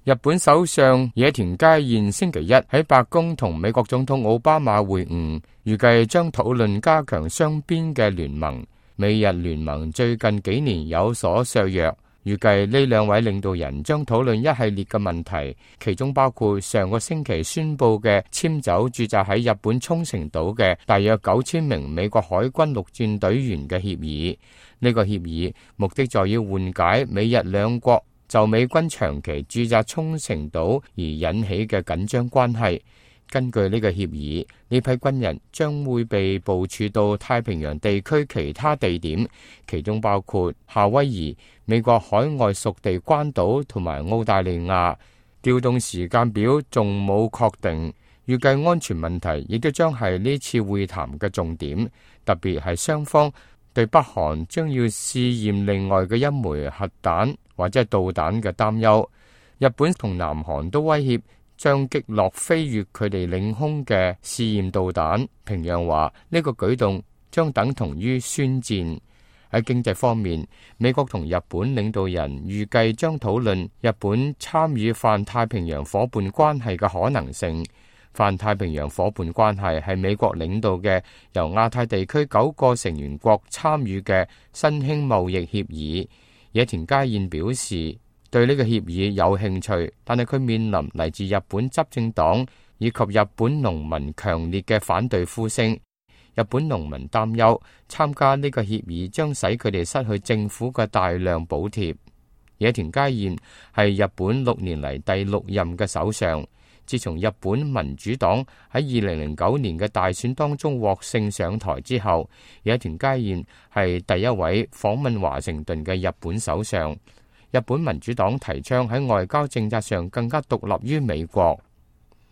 日本首相野田佳彥星期一喺白宮同美國總統奧巴馬會晤，預計將討論加強雙邊嘅聯盟。美日聯盟最近幾年有所削弱，預計呢兩位領導人將討論一系列嘅問題，其中包括上個星期宣布嘅遷走駐紮喺日本沖繩島嘅大約9000名美國海軍陸戰隊員嘅協議。呢個協議目的在於緩解美日兩國就美軍長期駐紮沖繩島而引起嘅緊張關係。根據呢個協議，呢批軍人將會被部署到太平洋地區其他地點，其中包括夏威夷、美國海外屬地關島同埋澳大利亞。調動時間表仲冇確定，預計安全問題亦都將係呢次會談嘅重點，特別係雙方對北韓將要試驗另外嘅一枚核彈或者係導彈嘅擔憂。日本同南韓都威脅將擊落飛越佢哋領空嘅試驗導彈。平壤話呢個舉動將等同於宣戰。喺經濟方面，美國同日本領導人預計將討論日本參與泛太平洋夥伴關係嘅可能性。泛太平洋夥伴關係係美國領導嘅由亞太地區9個成員國參與嘅新興貿易協議。野田佳彥表示對呢個協議有興趣，但係佢面臨嚟自日本執政黨以及日本農民強烈嘅反對呼聲。日本農民擔憂參加呢個協議將使佢哋失去政府嘅大量補貼。野田佳彥係日本6年嚟第6任嘅首相。自從日本民主黨喺2009年嘅大選當中獲勝上台之後，野田佳彥係第一位訪問華盛頓嘅日本首相。日本民主黨提倡喺外交政策上更加獨立於美國。